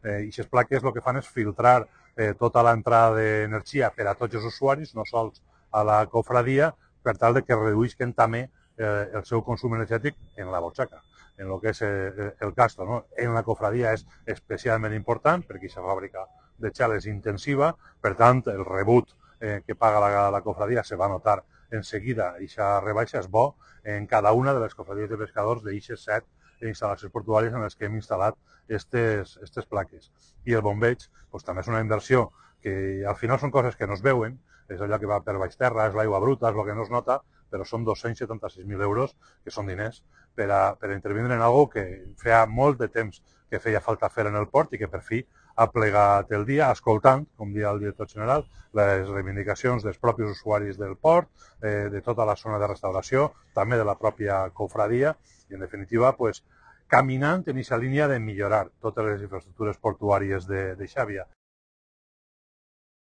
I aquestes plaques el que fan és filtrar tota l'entrada d'energia per a tots els usuaris, no sols a la cofradia, per tal de que reduïsquen també el seu consum energètic en la butxaca, en el que és el gasto. No? En la cofradia és especialment important perquè aquesta fàbrica de xel és intensiva, per tant, el rebut que paga la cofradia se va notar en seguida. Aquesta rebaixa és bo en cada una de les cofradies de pescadors d'eixes 7 instal·lacions portuàries en les que hem instal·lat aquestes plaques. I el bombeig doncs, també és una inversió que al final són coses que no es veuen, és allò que va per baix terra, és l'aigua bruta, és el que no es nota, però són 276.000 euros, que són diners, per a intervindre en algo que feia molt de temps que feia falta fer en el port i que per fi ha plegat el dia, escoltant, com deia el director general, les reivindicacions dels propis usuaris del port, de tota la zona de restauració, també de la pròpia cofradia, i en definitiva, pues, caminant en aquesta línia de millorar totes les infraestructures portuàries de Xàbia.